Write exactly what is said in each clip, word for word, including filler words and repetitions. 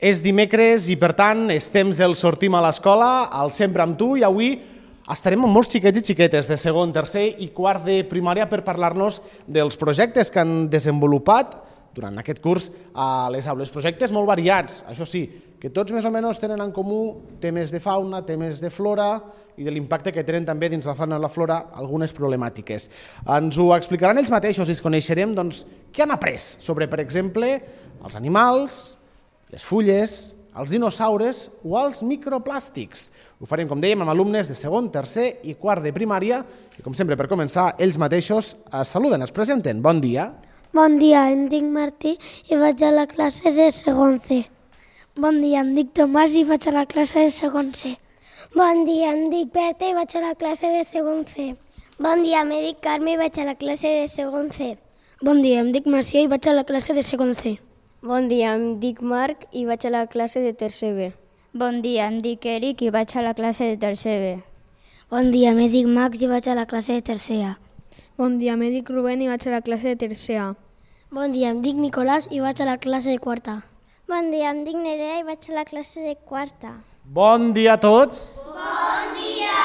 És dimecres i, per tant, és temps del Sortim a l'Escola, al Sempre amb tu, i avui estarem amb molts xiquets i xiquetes de segon, tercer i quart de primària per parlar-nos dels projectes que han desenvolupat durant aquest curs a les aules. Projectes molt variats, això sí, que tots més o menys tenen en comú temes de fauna, temes de flora i de l'impacte que tenen també dins la fauna i la flora algunes problemàtiques. Ens ho explicaran ells mateixos i es coneixerem doncs, què han après sobre, per exemple, els animals, les fulles, els dinosaures o els microplàstics. Ho farem, com dèiem, amb alumnes de segon, tercer i quart de primària i, com sempre, per començar, ells mateixos es saluden, es presenten. Bon dia. Bon dia, em dic Martí i vaig a la classe de segon C. Bon dia, em dic Tomàs i vaig a la classe de segon C. Bon dia, em dic Berta i vaig a la classe de segon C. Bon dia, em dic Carme i vaig a la classe de segon C. Bon dia, em dic Macia i vaig a la classe de segon C. Bon dia, em dic Marc i vaig a la classe de tercer B. Bon dia, em dic Eric i vaig a la classe de tercer B. Bon dia, em dic Max i vaig a la classe de tercer A. Bon dia, em dic Rubén i vaig a la classe de tercer A. Bon dia, em dic Nicolàs i vaig a la classe de quarta. Bon dia, em dic Nerea i vaig a la classe de quarta. Bon dia a tots. Bon dia.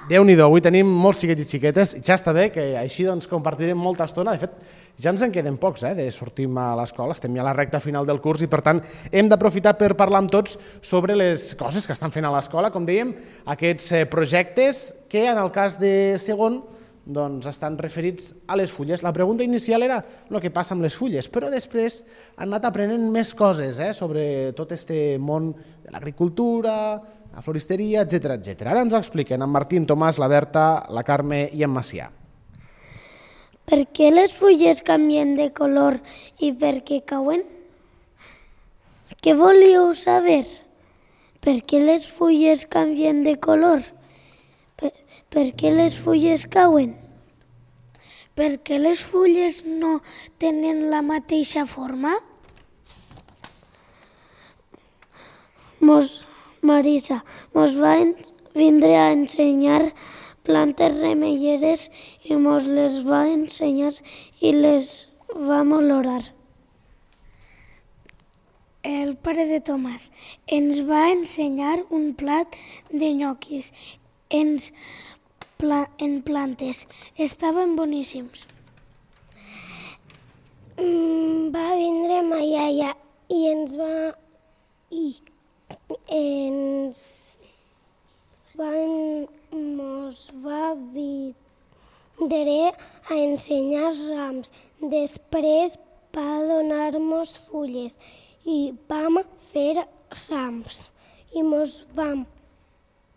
Déu-n'hi-do, avui tenim molts xiquets i xiquetes i ja està bé que així doncs, compartirem molta estona. De fet, ja ens en queden pocs eh, de sortir a l'escola, estem ja a la recta final del curs i per tant hem d'aprofitar per parlar amb tots sobre les coses que estan fent a l'escola, com dèiem, aquests projectes que en el cas de segon doncs, estan referits a les fulles. La pregunta inicial era el que passa amb les fulles, però després han anat aprenent més coses eh, sobre tot aquest món de l'agricultura, la floristeria, etcètera, etcètera. Ara ens ho expliquen en Martí, en Tomàs, la Berta, la Carme i en Macià. Per què les fulles canvien de color i per què cauen? Què volíeu saber? Per què les fulles canvien de color? Per, per què les fulles cauen? Per què les fulles no tenen la mateixa forma? Mos, Marisa, mos va vindre a ensenyar plantes remeieres i mos les va ensenyar i les vam olorar. El pare de Tomàs ens va ensenyar un plat de nyoquis ens pla, en plantes. Estaven boníssims. Mm, va vindre ma iaia i ens va... i ens van... mos va vindre a ensenyar rams. Després va donar-nos fulles i vam fer rams i mos, vam,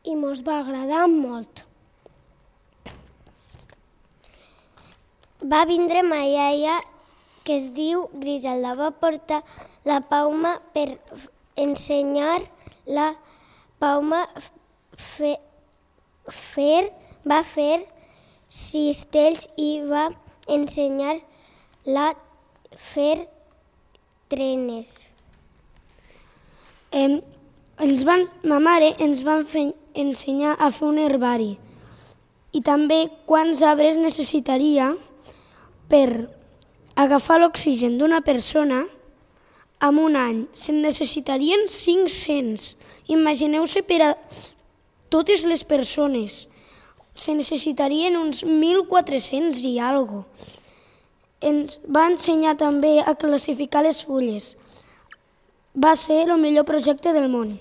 i mos va agradar molt. Va vindre ma iaia, que es diu Griselda, va portar la Pauma per ensenyar la Pauma fe, fer, va fer cistells i va ensenyar la fer trenes. Eh, ens van, ma mare ens va fer, ensenyar a fer un herbari i també quants arbres necessitaria per agafar l'oxigen d'una persona en un any. Se'n necessitarien cinc-cents. Imagineu-se per a totes les persones. Se necessitarien uns mil quatre-cents i alguna cosa. Ens va ensenyar també a classificar les fulles. Va ser el millor projecte del món.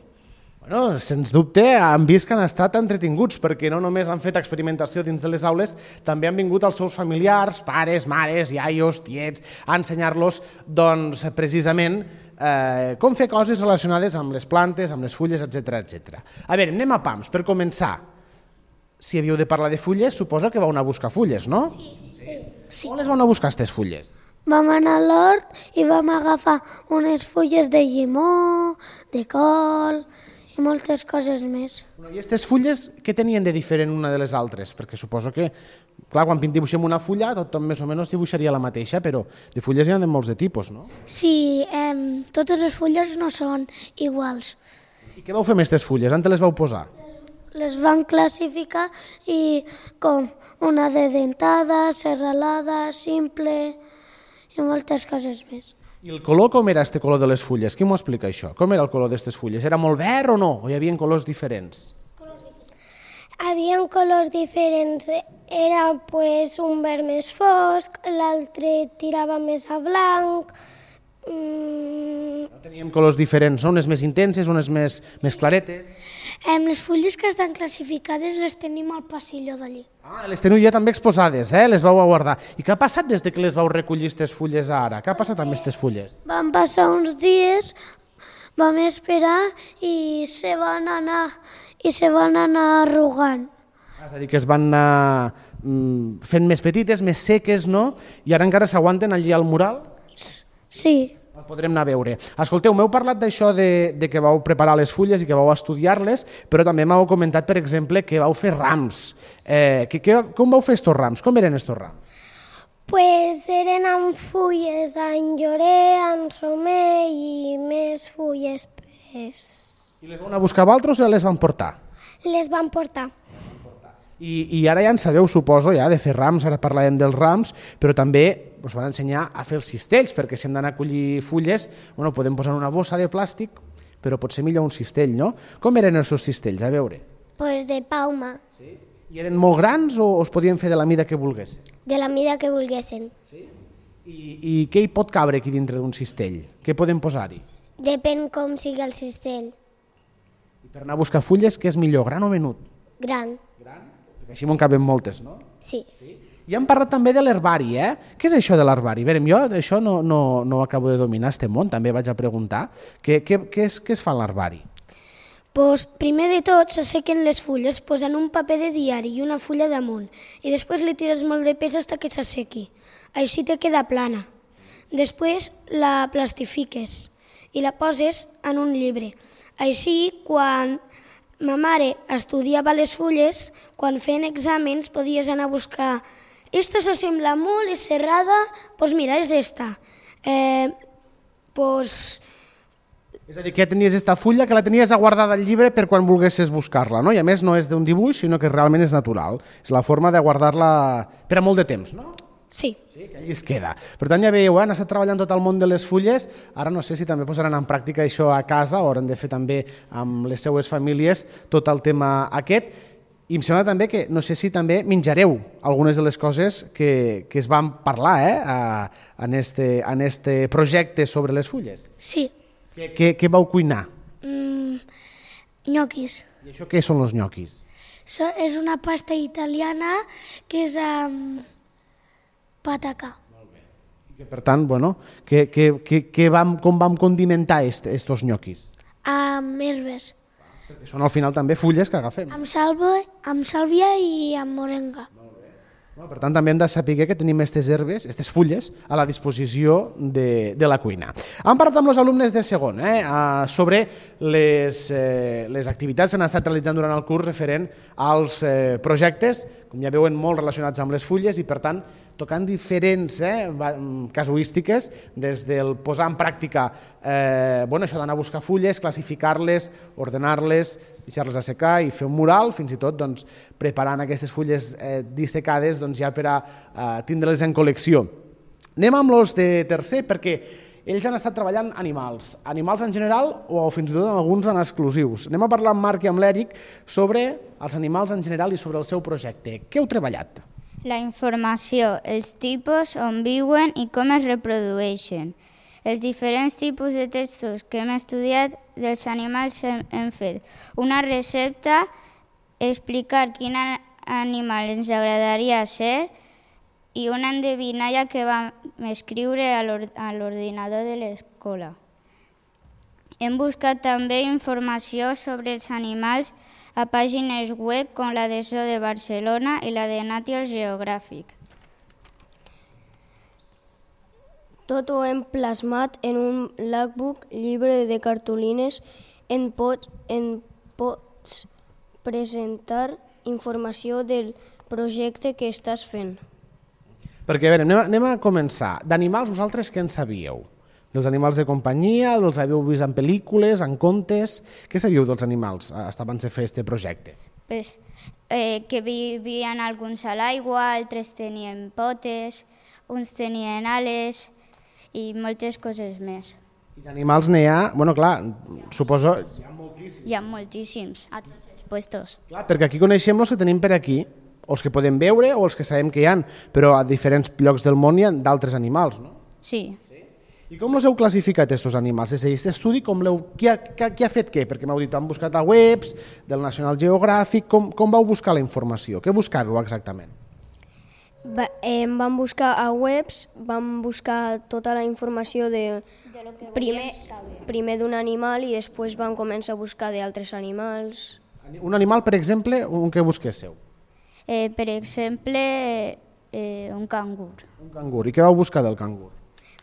Bueno, sens dubte han vist que han estat entretinguts perquè no només han fet experimentació dins de les aules, també han vingut els seus familiars, pares, mares, iaios, tiets, a ensenyar-los doncs, precisament eh, com fer coses relacionades amb les plantes, amb les fulles, etcètera, etcètera. A veure, anem a pams. Per començar, si havíeu de parlar de fulles, suposo que vau anar a buscar fulles, no? Sí, sí. sí. On les vau anar a buscar, aquestes fulles? Vam anar a l'hort i vam agafar unes fulles de llimó, de col i moltes coses més. I aquestes fulles, què tenien de diferent una de les altres? Perquè suposo que, clar, quan dibuixem una fulla, tothom més o menys dibuixaria la mateixa, però de fulles hi ha de molts de tipus, no? Sí, eh, totes les fulles no són iguals. I què vau fer amb aquestes fulles? On te les vau posar? Les van classificar i com una de dentada, serralada, simple i moltes coses més. I el color, com era este color de les fulles? Qui m'ho explica, això? Com era el color d'aquestes fulles? Era molt verd o no? O hi havia colors diferents? Havia colors diferents. Era pues, un verd més fosc, l'altre tirava més a blanc. Mm... Teníem colors diferents, no? Unes més intenses, unes més, més claretes. Eh, les fulles que estan classificades les tenim al passillo d'allí. Ah, les teniu ja també exposades, eh? Les vau a guardar. I què ha passat des de que les vau recollir aquestes fulles ara? Què ha passat amb aquestes fulles? Van passar uns dies, vam esperar i se van anar, i se van anar arrugant. És a dir, que es van anar mm, fent més petites, més seques, no? I ara encara s'aguanten allí al mural? Sí. El podrem anar a veure. Escolteu, m'heu parlat d'això de, de que vau preparar les fulles i que vau estudiar-les, però també m'heu comentat, per exemple, que vau fer rams. Eh, que, que, com vau fer estos rams? Com eren estos rams? Pues eren amb fulles en llorer, en romer i més fulles. Pues... I les vau anar a buscar vosaltres o les van portar? Les van portar. I, I ara ja en sabeu, suposo, ja de fer rams, ara parlàvem dels rams, però també us van ensenyar a fer els cistells, perquè si hem d'anar a collir fulles, bueno, podem posar una bossa de plàstic, però pot ser millor un cistell, no? Com eren els seus cistells? A veure. Pues de pauma. Sí? I eren molt grans o es podien fer de la mida que volguessin? De la mida que volguessin. Sí? I, I què hi pot cabre aquí dintre d'un cistell? Què podem posar-hi? Depèn com sigui el cistell. I per anar a buscar fulles, què és millor, gran o menut? Gran. Gran? Perquè així m'en caben moltes, no? Sí. Sí? I hem parlat també de l'herbari, eh? Què és això de l'herbari? A veure, jo això no, no, no acabo de dominar, este món, també vaig a preguntar. Què, què, què, és, què es fa en l'herbari? Pues, primer de tot s'assequen les fulles posant un paper de diari i una fulla damunt i després li tires molt de pes fins que s'assequi. Així te queda plana. Després la plastifiques i la poses en un llibre. Així, quan ma mare estudiava les fulles, quan feien exàmens podies anar a buscar «Esta s'assembla molt, és serrada, doncs mira, és esta». Eh, pues... És a dir, que tenies esta fulla que la tenies guardada al llibre per quan volguessis buscar-la, no? I a més no és d'un dibuix, sinó que realment és natural. És la forma de guardar-la per a molt de temps, no? Sí. Sí, que allí es queda. Per tant, ja veieu, han estat treballant tot el món de les fulles, ara no sé si també posaran en pràctica això a casa o hauran de fer també amb les seues famílies tot el tema aquest. I em sembla també que, no sé si també menjareu algunes de les coses que, que es van parlar eh, a, en, este, en este projecte sobre les fulles. Sí. Què, què, què vau cuinar? Mm, ñoquis. I això què són els ñoquis? So, és una pasta italiana que és amb patacà. I que, per tant, bueno, que, que, que, que vam, com vam condimentar estos ñoquis? Amb herbes. Perquè són al final també fulles que agafem. Amb, salva, amb sàlvia i amb morenga. No, per tant, també hem de saber que tenim aquestes herbes, aquestes fulles, a la disposició de, de la cuina. Hem parlat amb els alumnes de segon eh, sobre les, eh, les activitats que han estat realitzant durant el curs referent als eh, projectes, com ja veuen, molt relacionats amb les fulles i, per tant, tocant diferents eh, casuístiques, des del posar en pràctica eh, bueno, això d'anar a buscar fulles, classificar-les, ordenar-les, deixar-les assecar i fer un mural, fins i tot doncs, preparant aquestes fulles eh, dissecades doncs, ja per a eh, tindre-les en col·lecció. Anem amb els de tercer perquè ells han estat treballant animals, animals en general o fins i tot alguns en exclusius. Anem a parlar amb Marc i amb l'Èric sobre els animals en general i sobre el seu projecte. Què heu treballat? La informació, els tipus on viuen i com es reprodueixen. Els diferents tipus de textos que hem estudiat dels animals hem, hem fet. Una recepta, explicar quin animal ens agradaria ser i una endevinalla que vam escriure a l'ordinador de l'escola. Hem buscat també informació sobre els animals a pàgines web com la de Zoo de Barcelona i la de National Geographic. Tot ho hem plasmat en un logbook llibre de cartolines. En pots, en pots presentar informació del projecte que estàs fent. Perquè, a veure, anem a, anem a començar. D'animals, vosaltres què en sabíeu? Dels animals de companyia, els havíeu vist en pel·lícules, en contes? Què sabíeu dels animals abans de fer aquest projecte? Pues, eh, que vivien alguns a l'aigua, altres tenien potes, uns tenien ales i moltes coses més. I d'animals n'hi ha, bueno, clar, suposo... Hi ha moltíssims. Hi ha moltíssims, a tots els puestos. Clar, perquè aquí coneixem els que tenim per aquí, o els que podem veure o els que sabem que hi ha, però a diferents llocs del món hi ha d'altres animals, no? Sí. I com els heu classificat, aquests animals? És a dir, aquest estudi, com l'heu... Qui, ha, qui ha fet què? Perquè m'heu dit, han buscat a webs, del National Geographic, com, com vau buscar la informació? Què buscàveu exactament? Va, eh, vam buscar a webs, vam buscar tota la informació de, De lo que primer, volíem saber. primer d'un animal i després vam començar a buscar d'altres animals. Un animal, per exemple, un que busquéssiu? Eh, per exemple, eh, un cangur. Un cangur. I què vau buscar del cangur?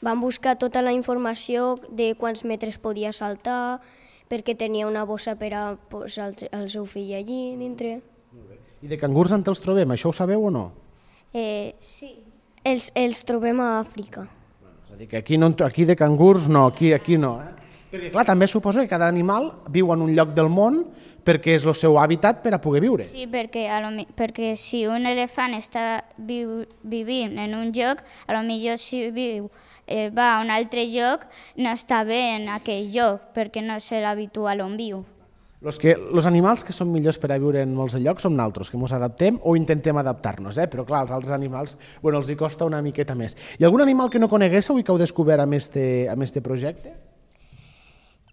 Vam buscar tota la informació de quants metres podia saltar, perquè tenia una bossa per a posar el, el seu fill allí dintre. I de cangurs on els trobem? Això ho sabeu o no? Eh, sí. Els, els trobem a Àfrica. És a dir, que aquí, no, aquí de cangurs no, aquí, aquí no. Eh? Perquè, clar, també suposo que cada animal viu en un lloc del món perquè és el seu hàbitat per a poder viure. Sí, perquè, a lo, mi- perquè si un elefant està viu, vivint en un lloc, a lo millor si viu, eh, va a un altre lloc, no està bé en aquell lloc, perquè no és l'habitual on viu. Los, que, los animals que són millors per a viure en molts llocs som naltros, que ens adaptem o intentem adaptar-nos, eh? Però clar, els altres animals bueno, els hi costa una miqueta més. Hi ha algun animal que no coneguéssiu i que heu descobert amb este, amb este projecte?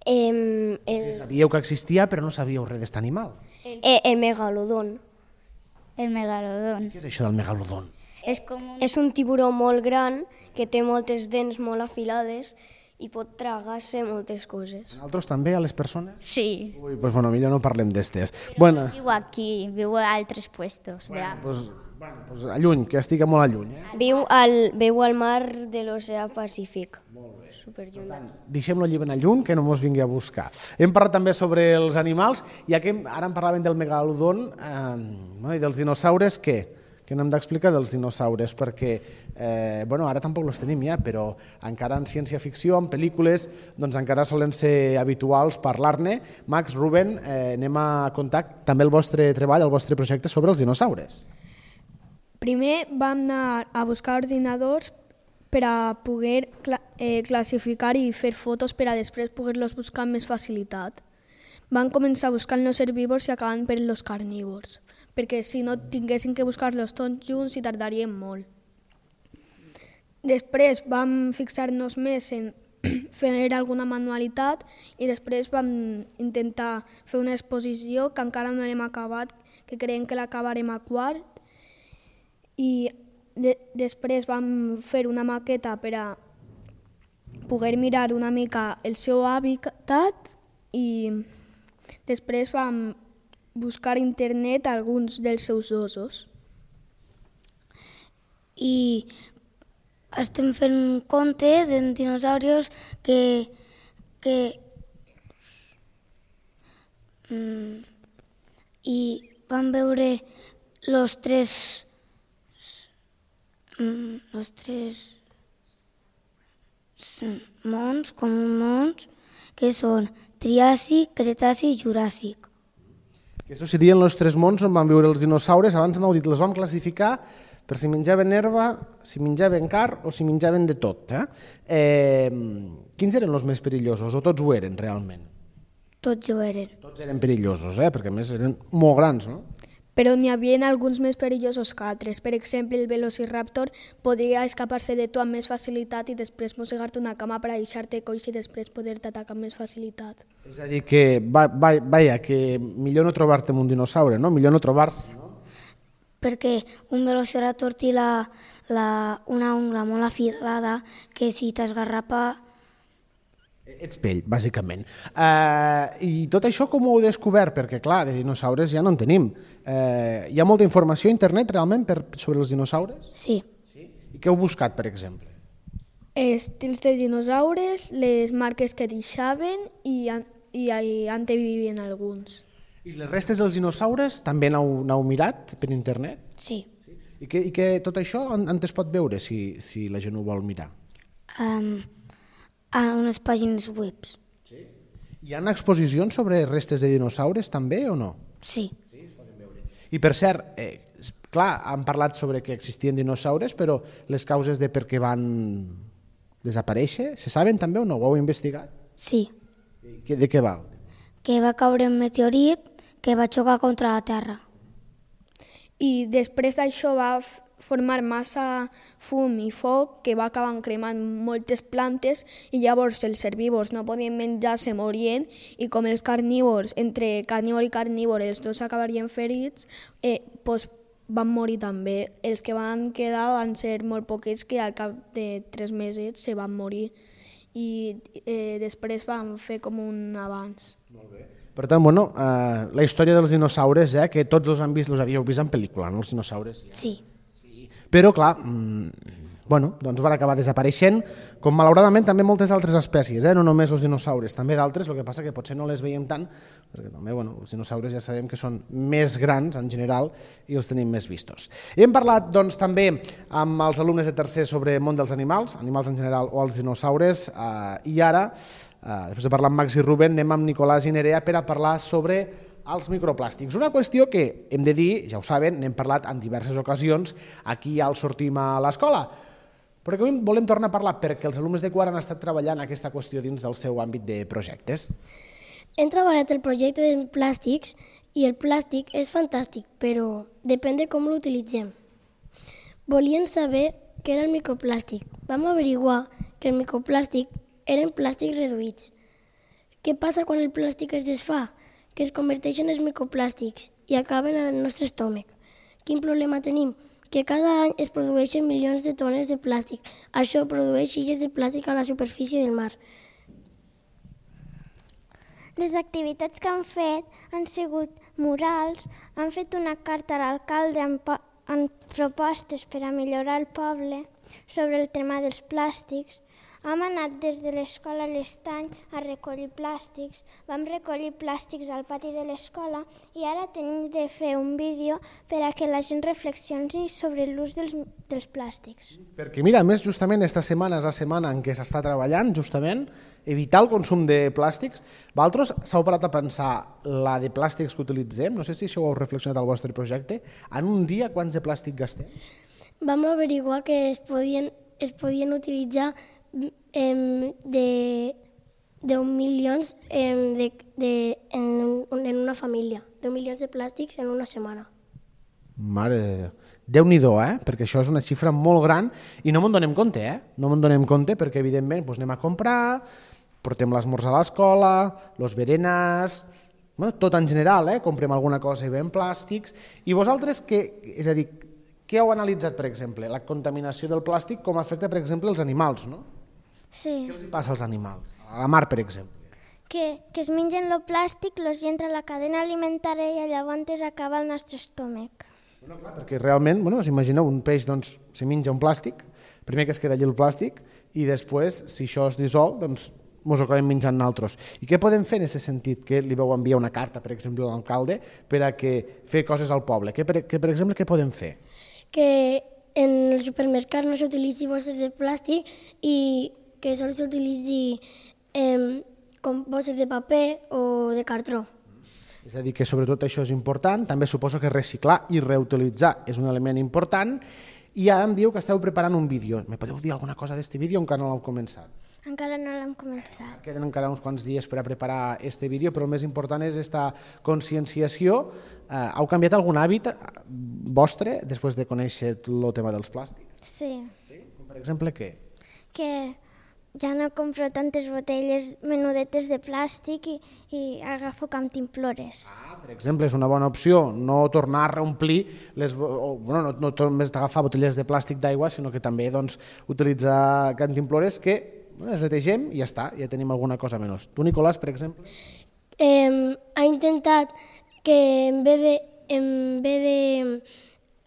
Eh, el, Sabíeu que existia però no sabíeu res d'aquest animal. eh, el megalodon. El megalodon. Què és això del megalodon? És com un... És un tiburó molt gran que té moltes dents molt afilades i pot tragar-se moltes coses. Nosaltres també, a les persones? Sí. Ui, doncs bueno, millor no parlem d'estes. Bueno, Viu aquí, viu a altres puestos. bueno, de... pues, bueno, pues a lluny, que estigui molt a lluny. Eh? Viu al, viu al mar de l'oceà Pacífic. Superlluny. Deixem-lo allí ben a lluny, que no mos vingui a buscar. Hem parlat també sobre els animals, ja que ara en parlàvem del megalodon eh, no, i dels dinosaures, què? Què n'hem d'explicar dels dinosaures? Perquè eh, bueno, ara tampoc els tenim ja, però encara en ciència-ficció, en pel·lícules, doncs encara solen ser habituals parlar-ne. Max, Ruben, eh, anem a contar també el vostre treball, el vostre projecte sobre els dinosaures. Primer vam anar a buscar ordinadors per a poder cla eh, classificar i fer fotos per a després poder-los buscar amb més facilitat. Van començar buscant els herbívors i acabant per els carnívors, perquè si no tinguessin que buscar-los tots junts i tardaríem molt. Després vam fixar-nos més en fer alguna manualitat i després vam intentar fer una exposició que encara no hem acabat, que creiem que l'acabarem a quart, i de després vam fer una maqueta per a poder mirar una mica el seu hàbitat i després vam buscar a internet alguns dels seus ossos. I estem fent un conte de dinosaurios que, que mm, i vam veure los tres mm, los tres mons, com un mons, que són Triàsic, Cretaci i Juràssic. Aquests serien els tres mons on van viure els dinosaures. Abans m'heu dit, els vam classificar per si menjaven herba, si menjaven carn o si menjaven de tot. Eh? Eh, quins eren els més perillosos o tots ho eren realment? Tots ho eren. Tots eren perillosos, eh? Perquè a més eren molt grans, no? Però n'hi havia alguns més perillosos que altres. Per exemple, el velociraptor podria escapar-se de tu amb més facilitat i després mossegar-te una cama per a deixar-te coix i després poder-te atacar amb més facilitat. És a dir, que, va, va, vaja, que millor no trobar-te amb un dinosaure, no? Millor no trobar-se, no? Perquè un velociraptor té la, la, una ungla molt afilada que si t'esgarrapa... Ets pell, bàsicament. Uh, I tot això com ho heu descobert? Perquè, clar, de dinosaures ja no en tenim. Uh, hi ha molta informació a internet, realment, per, sobre els dinosaures? Sí. Sí? I què heu buscat, per exemple? Estils de dinosaures, les marques que deixaven i, i, i on vivien alguns. I les restes dels dinosaures també n'heu mirat per internet? Sí. Sí? I, que, I que tot això on, on es pot veure, si, si la gent ho vol mirar? Um, a unes pàgines web. Sí? Hi ha exposicions sobre restes de dinosaures també o no? Sí. Sí, es poden veure. I per cert, eh, clar, han parlat sobre que existien dinosaures, però les causes de per què van desaparèixer? Se saben també o no? Ho heu investigat? Sí, De què va? que va caure un meteorit que va xocar contra la Terra. I després d'això va formar massa fum i foc que va acabar cremant moltes plantes i llavors els herbívors no podien menjar, se morien i com els carnívors, entre carnívor i carnívor, els dos acabarien ferits, eh, doncs van morir també. Els que van quedar van ser molt poquets que al cap de tres mesos se van morir i eh, després van fer com un avanç. Molt bé. Per tant, bueno, eh, la història dels dinosaures, eh, que tots els han vist, els havíeu vist en pel·lícula, no, els dinosaures? Sí. Però, clar, mmm, bueno, doncs van acabar desapareixent, com malauradament també moltes altres espècies, eh, no només els dinosaures, també d'altres, el que passa que potser no les veiem tant, perquè també, bueno, els dinosaures ja sabem que són més grans en general i els tenim més vistos. Hem parlat, doncs, també amb els alumnes de tercer sobre el món dels animals, animals en general o els dinosaures, eh, i ara, eh, després de parlar amb Max i Rubén, anem amb Nicolàs i Nerea per a parlar sobre els microplàstics. Una qüestió que hem de dir, ja ho saben, n'hem parlat en diverses ocasions aquí al Sortim a l'escola, però que avui volem tornar a parlar perquè els alumnes de quart han estat treballant aquesta qüestió dins del seu àmbit de projectes. Hem treballat el projecte de plàstics i el plàstic és fantàstic, però depèn de com l'utilitzem. Volíem saber què era el microplàstic. Vam averiguar que el microplàstic eren plàstics reduïts. Què passa quan el plàstic es desfà? Que es converteixen en microplàstics i acaben en el nostre estómac. Quin problema tenim? Que cada any es produeixen milions de tones de plàstic. Això produeix illes de plàstic a la superfície del mar. Les activitats que han fet han sigut murals, han fet una carta a l'alcalde amb, amb propostes per a millorar el poble sobre el tema dels plàstics. Hem anat des de l'escola a l'Estany a recollir plàstics, vam recollir plàstics al pati de l'escola i ara tenim de fer un vídeo per a que la gent reflexioni sobre l'ús dels, dels plàstics. Perquè mira, a més, justament aquesta setmana és la setmana en què s'està treballant, justament, evitar el consum de plàstics. Vosaltres s'heu parat a pensar la de plàstics que utilitzem? No sé si això ho heu reflexionat al vostre projecte. En un dia, quants de plàstic gastem? Vam averiguar que es podien, es podien utilitzar em, de deu milions em, de, de, en, en una família, deu milions de plàstics en una setmana. Mare de Déu. Déu-n'hi-do, eh? Perquè això és una xifra molt gran i no me'n donem compte, eh? No me'n donem compte perquè, evidentment, doncs anem a comprar, portem l'esmorzar a l'escola, els berenars, bueno, tot en general, eh? Comprem alguna cosa i veiem plàstics. I vosaltres, què, és a dir, què heu analitzat, per exemple? La contaminació del plàstic com afecta, per exemple, els animals, no? Sí. Què els passa als animals? A la mar, per exemple. Que, que es mengen el plàstic, els entra a la cadena alimentària i llavors acaba el nostre estómac. Bueno, clar, perquè realment, bueno, s'imagineu, un peix doncs, se menja un plàstic, primer que es queda allí el plàstic, i després, si això es dissol, doncs ens ho acabem menjant nosaltres. I què podem fer en aquest sentit? Que li vau enviar una carta, per exemple, a l'alcalde per a que fer coses al poble. Que, per, que, per exemple, què podem fer? Que en el supermercat no s'utilitzi bosses de plàstic i que sols s'utilitzi eh, com bosses de paper o de cartró. És a dir, que sobretot això és important. També suposo que reciclar i reutilitzar és un element important. I ara em diu que esteu preparant un vídeo. Me podeu dir alguna cosa d'aquest vídeo o encara no l'heu començat? Encara no l'hem començat. Queden encara uns quants dies per a preparar aquest vídeo, però el més important és aquesta conscienciació. Eh, heu canviat algun hàbit vostre després de conèixer el tema dels plàstics? Sí. Sí? Com per exemple què? Que ja no compro tantes botelles menudetes de plàstic i, i agafo cantimplores. Ah, per exemple, és una bona opció no tornar a reomplir, les, o, bueno, no, no només agafar botelles de plàstic d'aigua, sinó que també doncs, utilitzar cantimplores que bueno, les netegem i ja està, ja tenim alguna cosa menys. Tu, Nicolàs, per exemple? Eh, ha intentat que en vez de, en vez de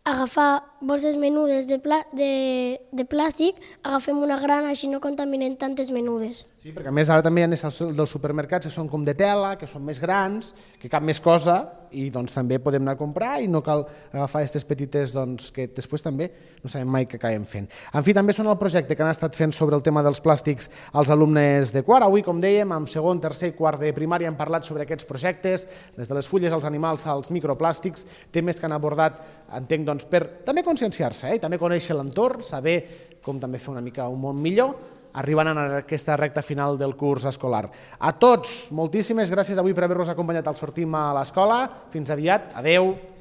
agafar bolses menudes de, plà, de, de plàstic, agafem una gran, així no contaminem tantes menudes. Sí, perquè a més ara també hi ha els dels supermercats que són com de tela, que són més grans, que cap més cosa, i doncs també podem anar a comprar i no cal agafar aquestes petites doncs, que després també no sabem mai què acabem fent. En fi, també són el projecte que han estat fent sobre el tema dels plàstics els alumnes de quart. Avui, com dèiem, amb segon, tercer i quart de primària hem parlat sobre aquests projectes, des de les fulles als animals als microplàstics, temes que han abordat, entenc, doncs, per també conscienciar-se, eh? I també conèixer l'entorn, saber com també fer una mica un món millor. arribant a aquesta recta final del curs escolar. A tots, moltíssimes gràcies avui per haver-nos acompanyat al Sortim a l'Escola. Fins aviat. Adeu.